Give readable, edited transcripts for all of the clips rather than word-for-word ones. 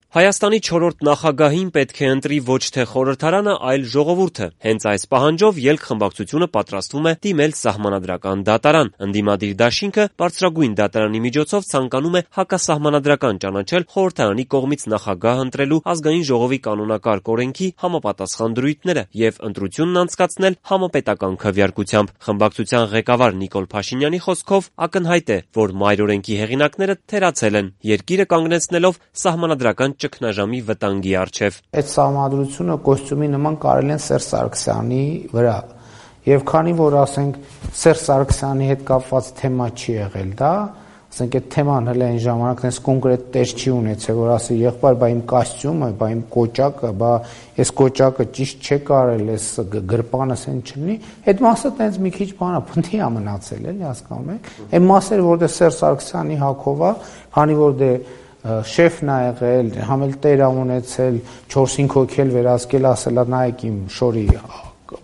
Հայաստանի 4-րդ նախագահին պետք է ընտրի ոչ թե խորհրդարանը, այլ ժողովուրդը։ Հենց այս պահանջով ելք խմբակցությունը պատրաստվում է դիմել սահմանադրական դատարան։ Ընդդիմադիր դաշինքը բարձրագույն դատարանի միջոցով ցանկանում է հակասահմանադրական ճանաչել խորհրդարանի կողմից նախագահ ընտրելու ազգային ժողովի կանոնակարգ օրենքի համապատասխան դրույթները եւ ընտրությունն անցկացնել համապետական քվեարկությամբ։ Խմբակցության ղեկավար Նիկոլ Փաշինյանի խոսքով ակնհայտ է, որ մայր օրենքի հեղինակները թերացել են, երկիրը կանգնեցնելով սահմանադրական ճգնաժամի վտանգի առջև։ Այդ սահմանադրությունը կոստյումի նման կարել են Սերժ Սարգսյանի վրա։ Եվ քանի որ ասենք Սերժ Սարգսյանի հետ կապված թեմա չի եղել դա, ասենք այդ թեման հələ այն ժամանակ այնպես կոնկրետ տեղ չի ունեցել, որ ասի եղբայր, բա իմ կոստյումը, բա իմ կոճակը, բա այս կոճակը ճիշտ չէ կարել, այս գրպանս այն չլինի, այդ մասը տենց մի քիչ բանա, փնթի է մնացել, էլի հասկանում եք։ Այն մասերը, որտեղ Սերժ Սարգսյանի հակով է, քանի որ դե շեֆն ա եղել, համել տեր ա ունեցել, 4-5 հոգի էլ վերահսկել, ասելա նայեք իմ շորի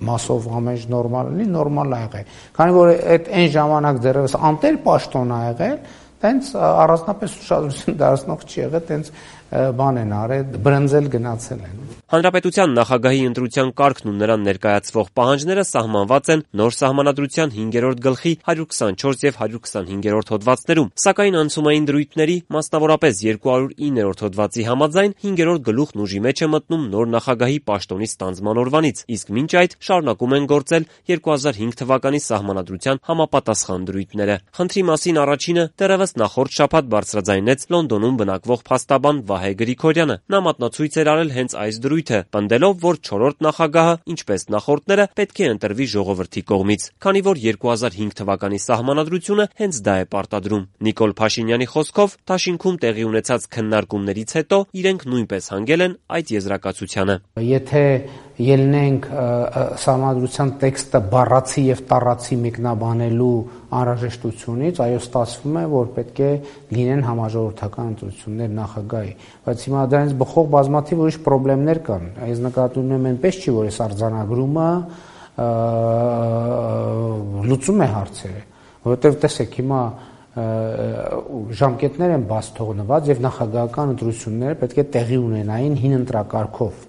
մասով ամեն նորմալ լինի, նորմալ ա եղել։ Քանի որ այդ այն ժամանակ դեռևս անտեր պաշտոն ա եղել, տենց առանձնապես ուշադրություն դարձնող չի եղել, տենց բան են արել, բրնձել գնացել են։ Հանրապետության նախագահի ընտրության կարգն ու նրան ներկայացվող պահանջները սահմանված են նոր սահմանադրության 5-րդ գլխի 124 եւ 125-րդ հոդվածներում, սակայն անցումային դրույթների, մասնավորապես 209-րդ հոդվածի համաձայն 5-րդ գլուխն ուժի մեջ է մտնում նոր նախագահի պաշտոնի ստանձնման օրվանից, իսկ մինչ այդ շարունակում են գործել 2005 թվականի սահմանադրության համապատասխան դրույթները։ Խնդրի մասին առաջինը դեռևս նախորդ շաբաթ բարձրաձայնեց Լոնդոնում բնակվող փաստաբան Վահե Գրիգորյանը։ Նա մատնացույց էր արել հենց այս դրույթը, պնդելով, որ 4-րդ նախագահը, ինչպես նախորդները, պետք է ընտրվի ժողովրդի կողմից, քանի որ 2005 թվականի սահմանադրությունը հենց դա է պարտադրում։ Նիկոլ Փաշինյանի խոսքով, դաշինքում տեղի ունեցած քննարկումներից հետո իրենք նույնպես հանգել են այդ եզրակացությանը։ Եթե ելնենք սահմանադրության տեքստը բառացի եւ տառացի մեկնաբանելու անհրաժեշտությունից, այո, ստացվում է, որ պետք է լինեն համաժողովրդական ընտրություններ նախագահի, բայց հիմա դրանից բխող բազմաթիվ ուրիշ խնդիրներ կան։ Այս նկատի ունեմ այնպես չի, որ այս արձանագրումը լուծում է հարցերը, որովհետեւ տեսեք հիմա ժամկետներ են բաց թողնված եւ նախագահական ընտրությունները պետք է տեղի ունենային հին ընտրակարգով։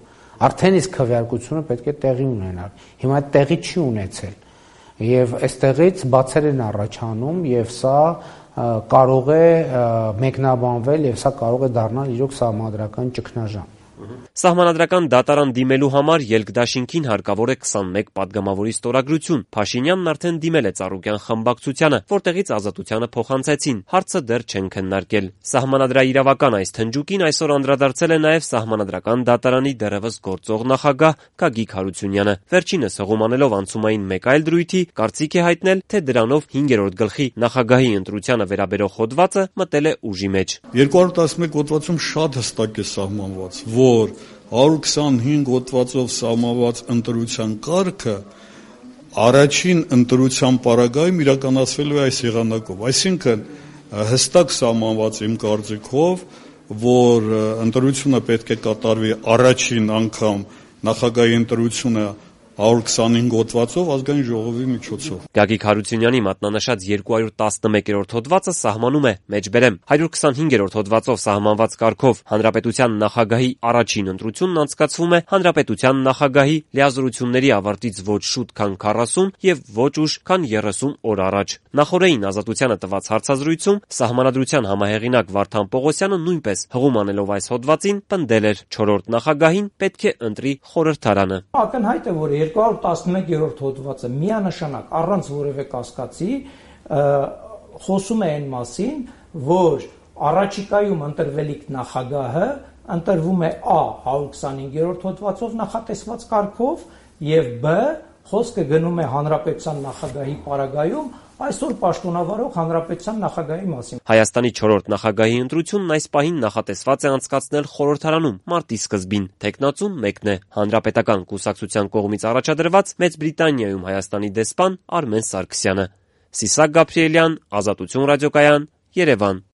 Արդեն իսկ քվեարկությունը պետք է տեղի ունենար։ Հիմա այդ տեղի չի ունեցել։ Եվ այստեղից բացեր են առաջանում եւ սա կարող է մեկնաբանվել եւ սա կարող է դառնալ իրոք սահմանադրական ճգնաժամ։ Սահմանադրական դատարան դիմելու համար ելքդաշինքին հարկավոր է 21 պատգամավորի ստորագրություն։ Փաշինյանն արդեն դիմել է Ծառուկյան խմբակցությանը, որտեղից Ազատությանը փոխանցեցին։ Հարցը դեռ չեն քննարկել։ Սահմանադրաիրավական այս թնջուկին այսօր անդրադարձել է նաև Սահմանադրական դատարանի դեռևս գործող նախագահ Գագիկ Հարությունյանը։ Վերջինս հղում անելով անցումային մեկ այլ դրույթի, կարծիք է հայտնել, թե դրանով 5-րդ գլխի նախագահի ընտրությանը վերաբերող հոդվածը մտել է ուժի մեջ։ 211 հոդվածում շատ հստակ է սահմանված, որ 125 հոդվածով սահմանված ընտրության կարգը առաջին ընտրության պարագայում իրականացվելու է այս եղանակով։ Այսինքն հստակ սահմանված իմ կարծիքով, որ ընտրությունը պետք է կատարվի առաջին անգամ նախագահի ընտրությունը 125 հոդվածով ազգային ժողովի միջոցով։ Գագիկ Հարությունյանի մատնանշած 211-րդ հոդվածը սահմանում է, մեջբերեմ, 125-րդ հոդվածով սահմանված կարգով հանրապետության նախագահի առաջին ընտրությունն անցկացվում է հանրապետության նախագահի լիազորությունների ավարտից ոչ շուտ, քան 40 եւ ոչ ուշ, քան 30 օր առաջ։ Նախորդին Ազատությանը տված հարցազրույցում սահմանադրության համահեղինակ Վարդան Պողոսյանը նույնպես հղում անելով այս հոդվածին պնդել էր 4-րդ նախագահին պետք է ընտրի խորհրդարանը։ Ակնհայտ է, որ 211-րդ հոդվածը միանշանակ առանց որևէ կասկածի խոսում է այն մասին, որ առաջիկայում ընտրվելիք նախագահը ընտրվում է A 125-րդ հոդվածով նախատեսված կարգով եւ B խոսքը գնում է հանրապետության նախագահի պարագայում այսօր պաշտոնավարող հանրապետության նախագահի մասին։ Հայաստանի 4-րդ նախագահի ընտրությունն այս պահին նախատեսված է անցկացնել խորհրդարանում մարտի սկզբին։ Թեկնածուն մեկն է՝ Հանրապետական կուսակցության կողմից առաջադրված Մեծ Բրիտանիայում Հայաստանի դեսպան Արմեն Սարգսյանը։ Սիսակ Գաբրիելյան, Ազատություն ռադիոկայան, Երևան։